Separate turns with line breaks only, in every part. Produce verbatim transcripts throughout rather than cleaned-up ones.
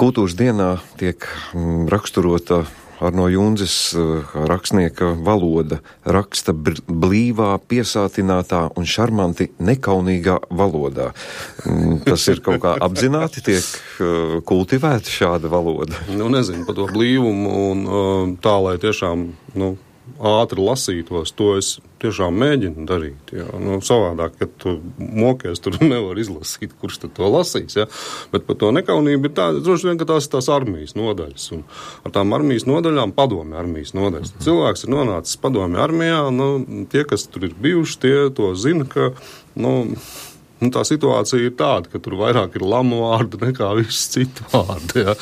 Kultūras dienā tiek raksturota Arno Jundzes rakstnieka valoda, raksta blīvā, piesātinātā un šarmanti nekaunīgā valodā. Tas ir kaut kā apzināti tiek kultivēta šāda valoda?
Nu, nezinu par to blīvumu un tā, lai tiešām, nu, ātri lasītos, to es tiešām mēģinu darīt. Jā. Nu, savādāk, kad tu mokies, tur nevar izlasīt, kurš tad to lasīs. Jā. Bet par to nekaunību ir tā, droši vien, ka tās ir tās armijas nodaļas. Un ar tām armijas nodaļām padomju armijas nodaļas. Cilvēks ir nonācis padomju armijā, nu, tie, kas tur ir bijuši, tie to zina, ka, nu, nu, tā situācija ir tāda, ka tur vairāk ir lamu vārdu nekā viss citu vārdu. Jā.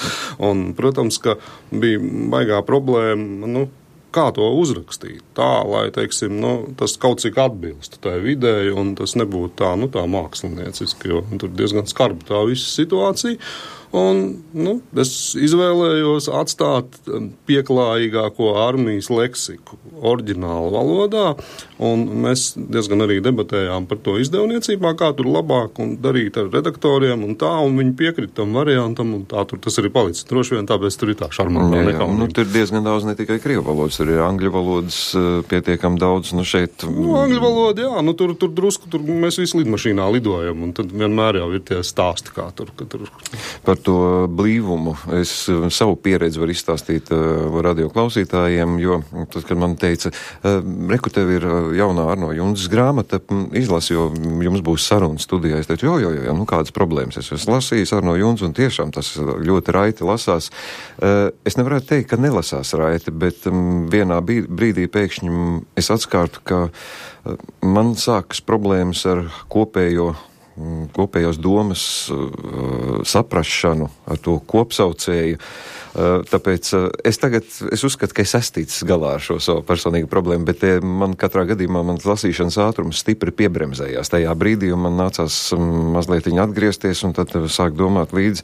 Un, protams, ka bija baigā problēma, nu, kā to uzrakstīt, tā, lai, teiksim, nu, tas kaut cik atbilst tai videi, un tas nebūtu tā, nu, tā mākslinieciski, jo tur diezgan skarba tā visa situācija. Un, nu, es izvēlējos atstāt pieklājīgāko armijas leksiku oriģinālu valodā, un mēs diezgan arī debatējām par to izdevniecībā, kā tur labāk un darīt ar redaktoriem un tā, un viņi piekrita tam variantam, un tā tur tas arī palicis. Droši vien tāpēc tur ir tā šarmantā nekaunība.
Nu, tur ir diezgan daudz ne tikai krievu valodas, tur ir angļu valodas pietiekam daudz, nu šeit...
Nu, angļu valoda, jā, nu tur, tur drusku, tur mēs visi lidmašīnā lidojam, un tad vienmēr jau ir tie stāsti, kā tur, ka tur...
Par to blīvumu es savu pieredzi varu izstāstīt uh, radio klausītājiem, jo tad, kad man teica, uh, reku, tev ir jaunā Arno Jundzes grāmata, izlasi, jo jums būs saruna studijā. Es teicu, jo, jo, jo, nu kādas problēmas. Es esmu lasījis Arno Jundzu un tiešām tas ļoti raiti lasās. Uh, es nevarētu teikt, ka nelasās raiti, bet um, vienā brīdī pēkšņi es atskārtu, ka uh, man sākas problēmas ar kopējo kopējās domas uh, saprašanu ar to kopsaucēju. Uh, tāpēc uh, es tagad, es uzskatu, ka es estīcis galā ar šo savu personīgu problēmu, bet uh, man katrā gadījumā man lasīšanas ātrums stipri piebremzējās tajā brīdī, un man nācās um, mazliet atgriezties un tad uh, sāk domāt līdzi.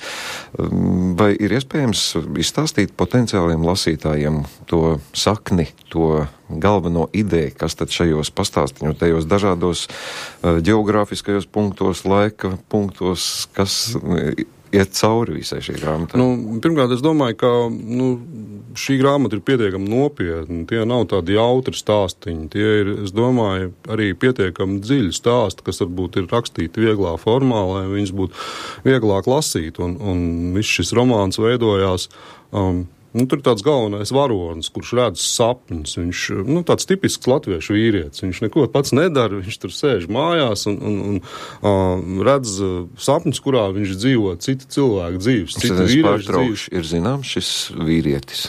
Um, vai ir iespējams izstāstīt potenciāliem lasītājiem to sakni, to galveno ideju, kas tad šajos pastāstiņos, tajos dažādos uh, geogrāfiskajos punktos, laika punktos, kas uh, iet cauri visai šī grāmata?
Nu, pirmkārt, es domāju, ka nu, šī grāmata ir pietiekami nopietna. Tie nav tādi jautri stāstiņi. Tie ir, es domāju, arī pietiekami dziļi stāsti, kas varbūt ir rakstīti vieglā formā, lai viņas būtu vieglāk lasīt. Un, un viss šis romāns veidojās... Um, Nu, tur ir tāds galvenais varonis, kurš redz sapņus. Viņš, nu, tāds tipisks latviešu vīrietis. Viņš neko pats nedara, viņš tur sēž mājās un, un, un uh, redz sapņus, kurā viņš dzīvo citu cilvēku dzīves, citu vīriešu dzīves.
Ir zināms šis vīrietis?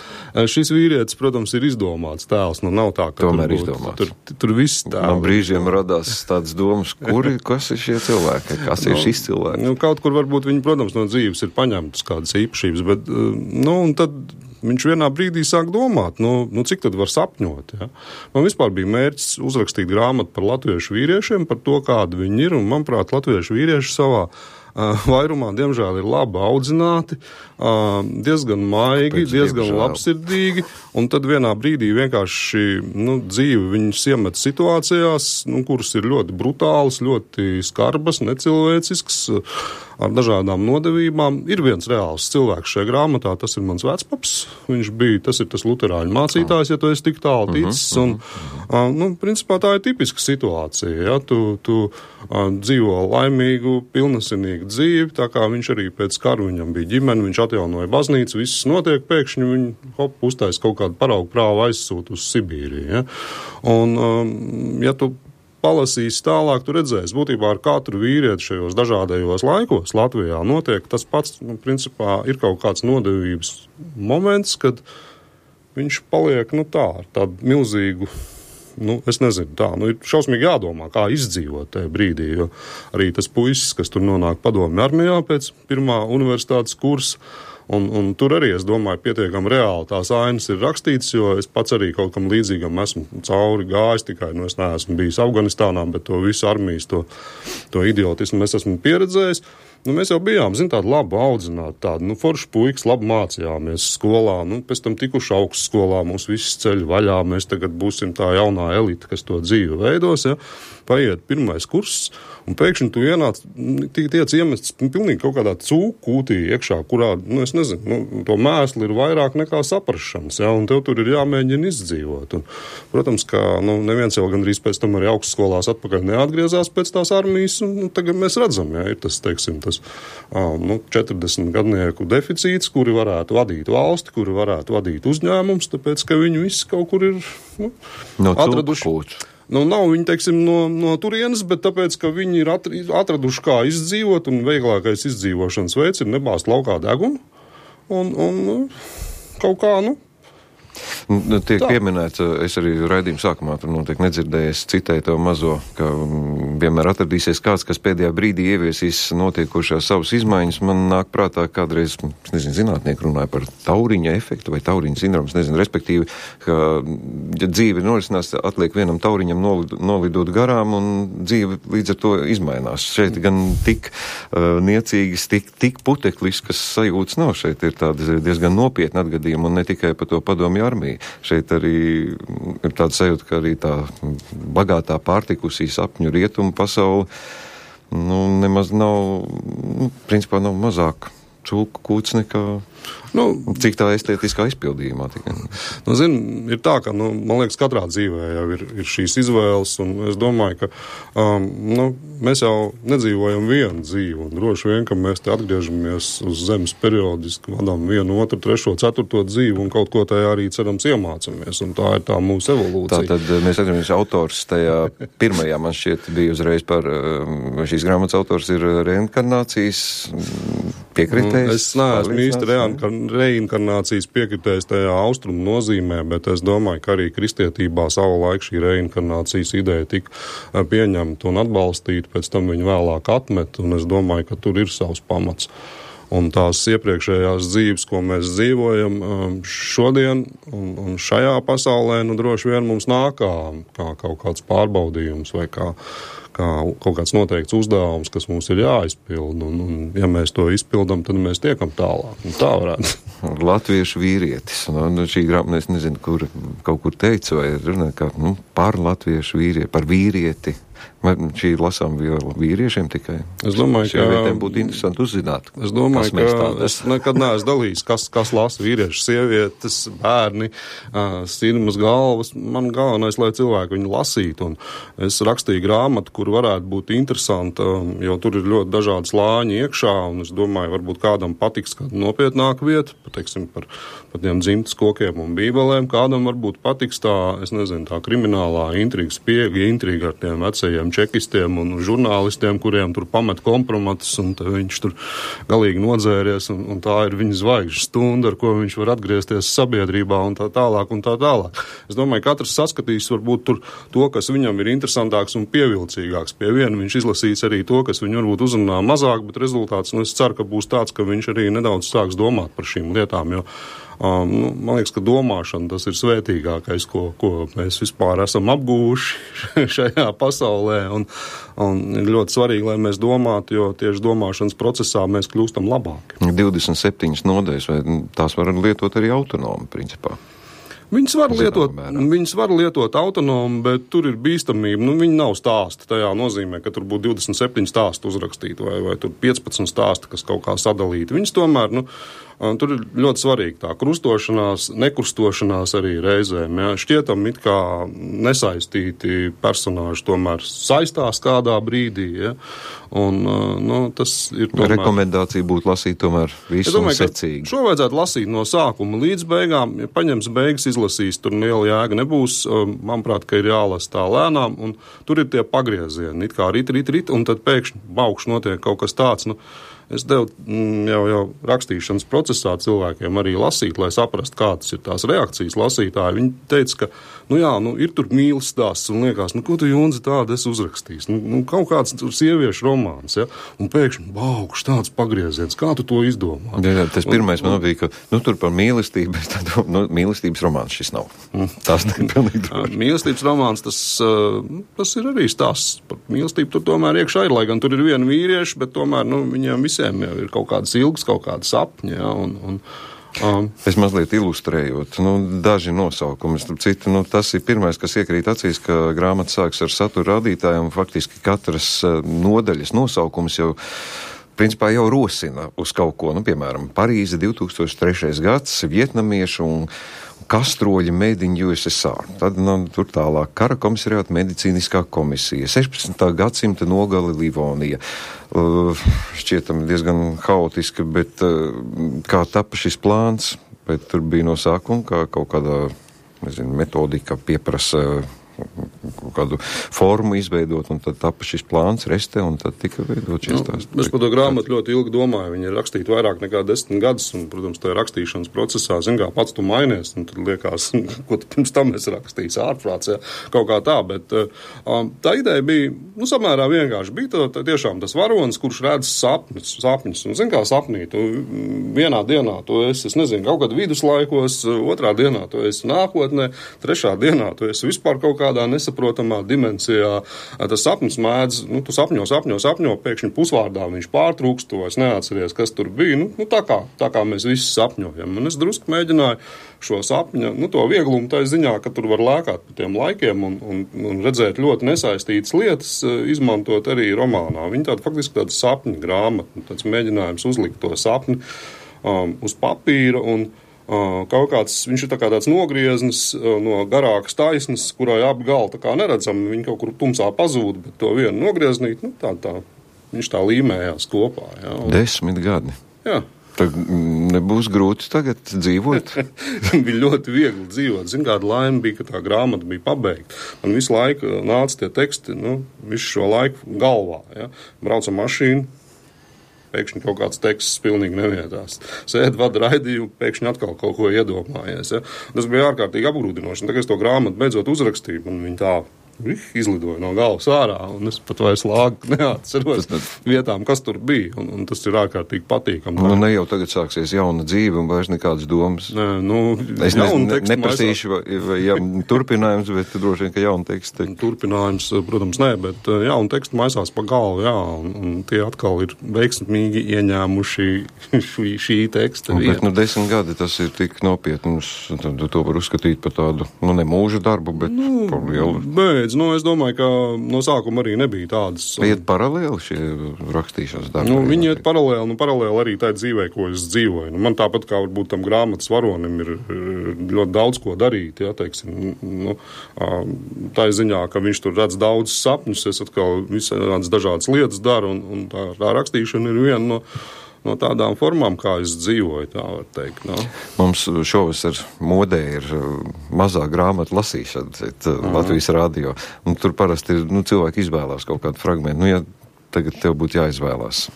Šis vīrietis, protams, ir izdomāts tēls. Nu, nav tā, ka
Tomēr
tur,
izdomāts.
Tur, tur viss tēls.
Man brīžiem radās tādas domas, kuri, kas ir šie cilvēki, kas ir šis cilvēks?
Nu, kaut kur varbūt viņi, protams, no dzīves ir paņemtas kādas īpašības, bet, nu, un tad viņš vienā brīdī sāk domāt, nu, nu cik tad var sapņot. Ja? Man vispār bija mērķis uzrakstīt grāmatu par latviešu vīriešiem, par to, kādi viņi ir, un, manuprāt, latviešu vīrieši savā uh, vairumā, diemžēl, ir labi audzināti, uh, diezgan maigi, Pēc diezgan diemžēl. labsirdīgi, un tad vienā brīdī vienkārši nu, dzīve viņus iemet situācijās, nu, kuras ir ļoti brutālas, ļoti skarbas, necilvēcisks, ar dažādām nodevībām. Ir viens reāls cilvēks šajā grāmatā, tas ir mans vecpaps. Viņš bija, tas ir tas luterāņu mācītājs, ja tu esi tik tālu ticis. Un, uh, nu, principā tā ir tipiska situācija. Ja? Tu, tu uh, dzīvo laimīgu, pilnasinīgu dzīvi, tā kā viņš arī pēc karu viņam bija ģimene, viņš atjaunoja baznīcu, viss notiek, pēkšņi viņi hop, uztais kaut kādu paraugu prāvu aizsūt uz Sibīriju. Ja? Un, um, ja tu palasīs tālāk, tu redzēsi, būtībā ar katru vīrieti šajos dažādajos laikos Latvijā notiek tas pats, nu, principā ir kaut kāds nodevības moments, kad viņš paliek, nu tā, ar tādu milzīgu, nu, es nezinu, tā, nu, ir šausmīgi jādomā, kā izdzīvot tajā brīdī, jo arī tas puisis, kas tur nonāk padomju armijā pēc pirmā universitātes kursa, Un, un tur arī, es domāju, pietiekami reāli tās ainas ir rakstītas, jo es pats arī kaut kam līdzīgam esmu cauri gājis, tikai, nu, es neesmu bijis Afganistānā, bet to visu armijas, to, to idiotismu es esmu pieredzējis. nu, mēs jau bijām, zin, tādi labi audzināti, tādi, nu, forši puikas, labi mācījāmies skolā, nu, pēc tam tikuši augstskolā, mūs viss ceļ vaļā, mēs tagad būsim tā jaunā elite, kas to dzīvi veidos, ja, paiet pirmais kurss, un pēkšņi tu ienāc, tiec iemests pilnīgi kaut kādā cūku kūtī iekšā, kurā, nu, es nezinu, nu, to mēsli ir vairāk nekā saprašanas, ja, un tev tur ir jāmēģina izdzīvot. Un, protams, ka, nu, neviens jau gandrīz pēc tam arī augstskolās atpakaļ neatgriezās pēc tās armijas, un, nu, tagad mēs redzam, ja, ir tas, teiksim, tas, nu, četrdesmit gadnieku deficīts, kuri varētu vadīt valsti, kuri varētu vadīt uzņēmums, tāpēc, ka viņi visi kaut kur ir, nu,
no
atraduši. Nu, nav viņi, teiksim, no, no turienes, bet tāpēc, ka viņi ir atraduši, kā izdzīvot, un vieglākais izdzīvošanas veids ir nebāzt laukā degunu, un, un kaut kā, nu,
Tiek tā pieminēts, es arī raidījuma sākumā tur noteikti nedzirdēju, es citēju to mazo, ka vienmēr atradīsies kāds, kas pēdējā brīdī ieviesīs notiekošās savas izmaiņas. Man nāk prātā kādreiz, es nezinu, zinātnieki runāja par tauriņa efektu vai tauriņa sindroms, nezinu, respektīvi, ka ja dzīve norisinās, atliek vienam tauriņam nolidot garām un dzīve līdz ar to izmainās. Šeit gan tik uh, niecīgas, tik, tik putekliskas sajūtas nav. Šeit ir tādi diezgan nopietni atgadījumi un ne tikai par to padomju armiju. Šeit arī ir tāda sajūta, ka arī tā bagātā pārtikusī sapņu rietumu pasauli, nu, nemaz nav, nu, principā nav mazāk cūku kūts nekā, nu, cik tā estētiskā izpildījumā tikai.
Nu, zin, ir tā, ka, nu, man liekas, katrā dzīvē jau ir, ir šīs izvēles, un es domāju, ka, um, nu, mēs jau nedzīvojam vienu dzīvi, un droši vien, ka mēs te atgriežamies uz zemes periodiski, vadām vienu, otru, trešo, ceturto dzīvi, un kaut ko tajā arī, cerams, iemācamies, un tā ir tā mūsu evolūcija.
Tā tad mēs atgriežamies autors tajā pirmajā, man šķiet, bija uzreiz par, šīs grāmatas autors ir reinkarnācijas piekritējs.
Es neesmu īsti reinkarnācijas piekritējs tajā austrumu nozīmē, bet es domāju, ka arī kristietībā savu laiku šī reinkarnācijas ideja tika pieņemta un atbalstīta, pēc tam viņu vēlāk atmet, un es domāju, ka tur ir savs pamats. Un tās iepriekšējās dzīves, ko mēs dzīvojam šodien un, un šajā pasaulē, nu droši vien mums nāk kā, kā kaut kāds pārbaudījums vai kā kā kaut kāds noteikts uzdevums, kas mums ir jāizpild, un, un ja mēs to izpildam, tad mēs tiekam tālāk. Un tā varētu.
Latviešu vīrietis. Nu, šī grāmata, es nezinu, kur kaut kur teica, vai runā, kā, nu, par latviešu vīrieti, par vīrieti. Vai šī lasām vīriešiem tikai? Es domāju, ka vietēm būtu interesanti uzzināt.
Es domāju, ka es nekad neesmu dalījis, kas, kas lasa vīrieši, sievietes, bērni, sirmas galvas. Man galvenais, lai cilvēki viņu lasītu. Un es rakstīju grāmatu, kur varētu būt interesanta, jo tur ir ļoti dažādi slāņi iekšā, un es domāju, varbūt kādam patiks kāda nopietnāka vieta, pateiksim, par, par tiem dzimtas kokiem un bībelēm, kādam varbūt patiks tā, es nezinu, tā kriminālā intriga, spiega intriga ar tiem vecajiem čekistiem un žurnālistiem, kuriem tur pamet kompromatus, un viņš tur galīgi nodzēries, un, un tā ir viņa zvaigžņu stunda, ar ko viņš var atgriezties sabiedrībā, un tā tālāk, un tā tālāk. Es domāju, katrs saskatīs varbūt tur to, kas viņam ir interesantāks un pievilcīgāks. Pie viena viņš izlasīs arī to, kas viņu varbūt uzrunā mazāk, bet rezultāts, nu, es ceru, ka būs tāds, ka viņš arī nedaudz sāks domāt par šīm lietām, jo Um, nu, man liekas, ka domāšana tas ir svētīgākais, ko, ko mēs vispār esam apgūši šajā pasaulē, un, un ir ļoti svarīgi, lai mēs domātu, jo tieši domāšanas procesā mēs kļūstam labāki.
divdesmit septiņas nodaļas, vai tās var lietot arī autonomi, principā?
Viņas var, lietot, viņas var lietot autonomi, bet tur ir bīstamība. Nu, viņi nav stāsti. Tajā nozīmē, ka tur būtu divdesmit septiņi stāsti uzrakstīti vai, vai tur piecpadsmit stāsti, kas kaut kā sadalīti. Viņas tomēr, nu, tur ir ļoti svarīgi tā krustošanās, nekrustošanās arī reizēm. Ja. Šķietam it kā nesaistīti personāži tomēr saistās kādā brīdī. Ja. Un, nu, tas ir tomēr...
Rekomendācija būtu lasīt tomēr visu un secīgi.
Šo vajadzētu lasīt no sākuma līdz beigām. Ja paņems beigas, izlasīs, tur liela jēga nebūs. Manuprāt, ka ir jālasa tā lēnām, un tur ir tie pagriezieni. It kā rit, rit, rit, un tad pēkšņi baukš notiek kaut kas tāds, nu, es devu jau, jau rakstīšanas procesā cilvēkiem arī lasīt, lai saprastu, kādas ir tās reakcijas lasītāji. Viņi teica, ka, nu jā, nu, ir tur mīlas stāsts, un liekas, nu, ko tu, Junzi, tādu esi uzrakstījis? Nu, nu, kaut kāds tur sieviešu romāns, ja? Un pēkšņi, baukš, tāds pagrieziens, kā tu to izdomā?
Jā, jā, tas pirmais un, man bija, ka, nu, tur par mīlestību, bet tad, nu, mīlestības romāns šis nav. Tas ir pilnīgi droši.
Mīlestības romāns, tas, tas ir arī stāsts par mīlestību, tur tomēr iekšā ir, lai gan tur ir viena vīrieša, bet tomēr, nu, viņiem visi visiem jau ir kaut kādas ilgas, kaut kādas sapņi, ja, un, un um,
es mazliet ilustrējot, nu, daži nosaukumi, citu, nu, tas ir pirmais, kas iekrīt acīs, ka grāmata sāks ar satura rādītājiem, faktiski katras nodaļas nosaukums jau principā jau rosina uz kaut ko, nu, piemēram, Parīze divi tūkstoši trešais gads, vietnamiešu un kastroļi made in U S S R. Tad, nu, tur tālāk kara komisariāta medicīniskā komisija, sešpadsmitā gadsimta nogali Livonija. Uh, šķietami diezgan haotiski, bet uh, kā tapa šis plāns, bet tur bija no sākuma, kā kaut kādā, nezinu, metodika pieprasa kaut kādu formu izveidot, un tad tapa šis plāns, reste, un tad tika veidot šis tās.
Nu, es par to grāmatu ļoti ilgi domāju. Viņa ir rakstīta vairāk nekā desmit gadus, un, protams, tajā rakstīšanas procesā, zin kā, pats tu mainies, un tad liekas, ko tu pirms tam esi rakstījis ārprāts, ja, kaut kā tā, bet um, tā ideja bija, nu, samērā vienkārši. Bija tā, tā tiešām tas varonis, kurš redz sapņus, sapņus, un, zin kā, sapnī, tu vienā dienā tu esi, es nezinu, kaut kad viduslaikos, otrā dienā tu esi nākotnē, trešā dienā tu esi vispār kaut kādā nesaprotamā dimensijā. Tas sapnis mēdz, nu, tu sapņo, sapņo, sapņo, pēkšņi pusvārdā viņš pārtrūkst, tu vairs neatceries, kas tur bija. Nu, nu tā, kā, tā kā mēs visi sapņojam. Un es drusku mēģināju šo sapņu, nu, to vieglumu tā ziņā, ka tur var lēkāt pa tiem laikiem un, un, un redzēt ļoti nesaistītas lietas, izmantot arī romānā. Viņa tāda faktiski tāda sapņu grāmata, tāds mēģinājums uzlikt to sapni um, uz papīra un Uh, kaut kāds, viņš ir tā kā tāds nogrieznis uh, no garākas taisnes, kurai abi gali tā kā neredzam, viņi kaut kur tumsā pazūd, bet to vienu nogrieznīt, nu tā, tā, viņš tā līmējās kopā. Jā, un...
Desmit gadi.
Jā.
Tad nebūs grūti tagad dzīvot?
Bija ļoti viegli dzīvot. Zin, kāda laime bija, ka tā grāmata bija pabeigta. Man visu laiku nāca tie teksti, nu, visu šo laiku galvā, ja. Brauca mašīnu, pēkšņi kaut kāds teksts pilnīgi nevietās. Sēd, vada raidījumu, pēkšņi atkal kaut ko iedomājies. Ja? Tas bija ārkārtīgi apgrūdinoši. Un tagad es to grāmatu beidzot uzrakstīju, un viņi tā izlidoja no galvas ārā, un es pat vairs lāgu neatceros tas, vietām, kas tur bija, un, un tas ir ārkārtīgi patīkami.
Nu, ne jau tagad sāksies jauna dzīve, un vairs nekādas domas.
Nē, nu,
es ne, ne, neprasīšu, vai, vai jā, turpinājums, bet droši vien, ka jauna teksta.
Turpinājums, protams, nē, bet jauna teksta maisās pa galvu, jā, un, un tie atkal ir veiksmīgi ieņēmuši šī, šī teksta.
Bet, nu, desmit gadi tas ir tik nopietnums, tad to var uzskatīt par tādu, nu, ne mūža darbu, bet nu, par lielu.
Bet, Nu, es domāju, ka no sākuma arī nebija tādas.
Iet paralēli šie rakstīšanas darbi?
Nu, viņi iet paralēli, nu paralēli arī tā dzīvē, ko es dzīvoju. Nu, man tāpat kā varbūt tam grāmatas varonim ir ļoti daudz ko darīt, ja, teiksim, nu, tā ziņā, ka viņš tur redz daudz sapņus, es atkal visādas dažādas lietas daru, un, un tā, tā rakstīšana ir viena no no tādām formām, kā es dzīvoju, tā var teikt. No?
Mums šovasar modē ir mazā grāmata lasīšana mm. Latvijas radio, un tur parasti ir, nu, cilvēki izvēlās kaut kādu fragmentu. Nu, ja tagad tev būtu jāizvēlās,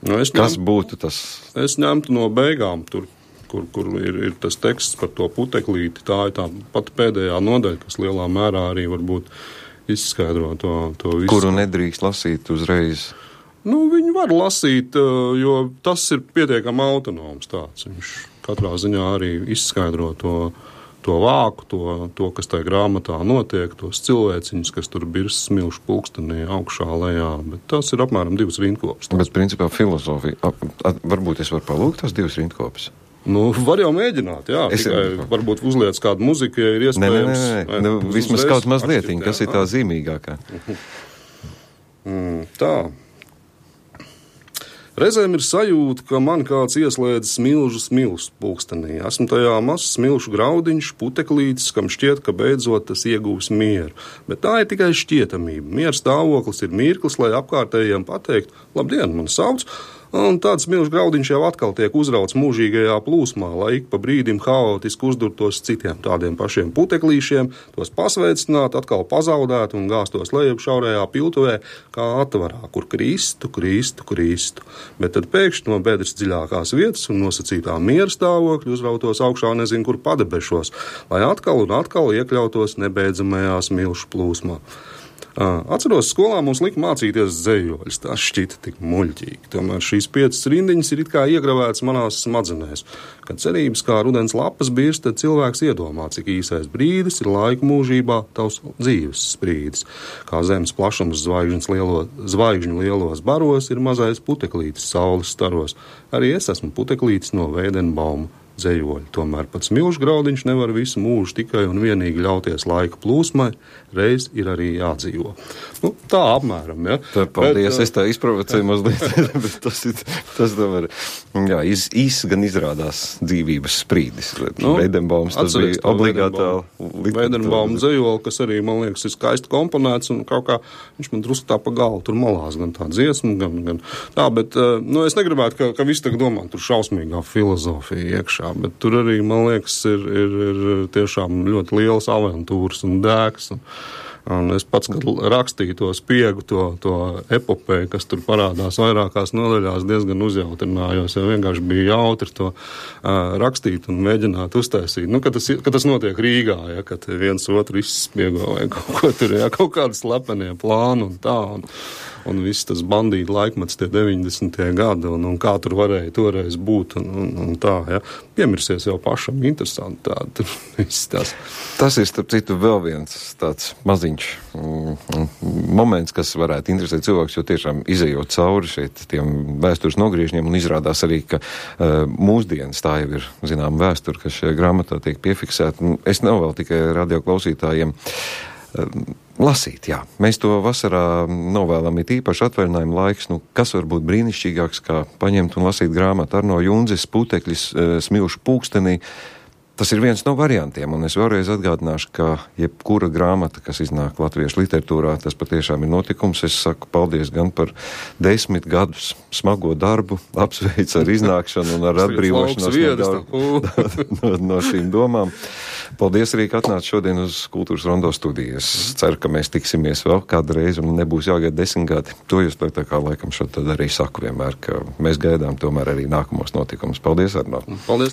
nu,
kas
ņem,
būtu tas?
Es ņemtu no beigām tur, kur, kur ir, ir tas teksts par to puteklīti. Tā ir tā pati pēdējā nodaļa, kas lielā mērā arī varbūt izskaidro to, to visu.
Kuru nedrīkst lasīt uzreiz?
Nu, viņi var lasīt, jo tas ir pietiekami autonoms tāds. Viņš katrā ziņā arī izskaidro to, to vāku, to, to, kas tajā grāmatā notiek, tos cilvēciņus, kas tur birs smilšu pulkstenī augšā lejā, bet tas ir apmēram divas rindkopas.
Bet, principā, filozofija, varbūt es varu palūgt tās divas rindkopas?
Nu, var jau mēģināt, jā, es... tikai varbūt uzliec kādu muziku, ja ir iespējams.
Nē, nē, nē, nu, vismaz kaut mazlietiņ, kas ir tā zīmīgākā.
Mm, tā. Reizēm ir sajūta, ka man kāds ieslēdz smilžu smilšu pulkstenī. Esmu tajā mazs smilšu graudiņš, puteklītis, kam šķiet, ka beidzot tas iegūs mieru. Bet tā ir tikai šķietamība. Miera stāvoklis ir mirklis, lai apkārtējiem pateikt, labdien, man sauc, un tāds smilšu graudiņš jau atkal tiek uzrauts mūžīgajā plūsmā, lai ik pa brīdim haotiski uzdurtos citiem tādiem pašiem puteklīšiem, tos pasveicināt, atkal pazaudēt un gāstos lejup šaurajā piltuvē, kā atvarā, kur kristu, kristu, kristu. Bet tad pēkšņi no bedres dziļākās vietas un nosacītā miera stāvokļa uzrautos augšā nezinu kur padebešos, lai atkal un atkal iekļautos nebeidzamajā smilšu plūsmā. Atceros, skolā mums lika mācīties dzejoļus. Tas šķita tik muļķīgi. Tomēr šīs piecas rindiņas ir it kā iegravētas manās smadzenēs. Kad cerības kā rudens lapas birst, tad cilvēks iedomā, cik īsais brīdis ir laika mūžībā tavs dzīves sprīdis. Kā zemes plašums lielo, zvaigžņu lielos baros ir mazais puteklītis saules staros. Arī es esmu puteklītis no Veidenbauma dzejoļi. Tomēr pats milžu graudiņš nevar visu mūžu tikai un vienīgi ļauties laika plūsmai, reiz ir arī jādzīvo. Nu, tā apmēram, ja.
Tā, paldies,
bet,
es tā izprovocēju mazliet, bet tas ir, tas tomēr, jā, iz, īs gan izrādās dzīvības sprīdis. Nu, Veidenbaums, tas bija obligātā
Veidenbauma dzejoļi, kas arī, man liekas, ir skaisti komponēts, un kaut kā viņš man drusku tā pa galu tur malās, gan tā dziesma, gan, gan tā, bet, nu, es negribētu, ka, ka visi tagad domā, tur šausmīgā filozofija iekšā. Bet tur arī, man liekas, ir, ir, ir tiešām ļoti lielas aventūras un dēks. Un, un es pats, kad rakstīju to spiegu, to, to epopēju, kas tur parādās vairākās nodaļās, diezgan uzjautrinājos, jo vienkārši bija jautri to uh, rakstīt un mēģināt uztaisīt. Nu, kad tas, kad tas notiek Rīgā, ja, kad viens otru izspiego vai kaut ko tur, ja, kaut kādi slepenie plāni un tā. Un, un viss tas bandīta laikmets tie deviņdesmitie gadi, un, un kā tur varēja toreiz būt, un, un, un tā, ja. Piemirsies jau pašam, interesanti tā, tur viss tas.
Tas ir, starp citu, vēl viens tāds maziņš mm, moments, kas varētu interesēt cilvēks, jo tiešām izejot cauri šeit tiem vēstures nogriežņiem, un izrādās arī, ka uh, mūsdienas tā jau ir, zinām, vēsture, kas šajā grāmatā tiek piefiksēta. Es nav vēl tikai radioklausītājiem lasīt, jā. Mēs to vasarā novēlam it īpaši atvaļinājumu laiks. Nu, kas var būt brīnišķīgāks, kā paņemt un lasīt grāmatu Arno Jundzes Putekļis smilšu pūkstenī. Tas ir viens no variantiem, un es vēlreiz atgādināšu, ka jebkura grāmata, kas iznāk latviešu literatūrā, tas patiešām ir notikums. Es saku paldies gan par desmit gadus smago darbu, apsveicu ar iznākšanu un ar atbrīvošanos no, no, no šīm domām. Paldies arī, ka atnāc šodien uz Kultūras Rondo studiju. Es ceru, ka mēs tiksimies vēl kādu reizi un nebūs jāgaida desmit gadi. To jūs tā kā laikam šo tad arī saku vienmēr, ka mēs gaidām tomēr arī nākamos notikumus. Paldies, Arno.
Paldies.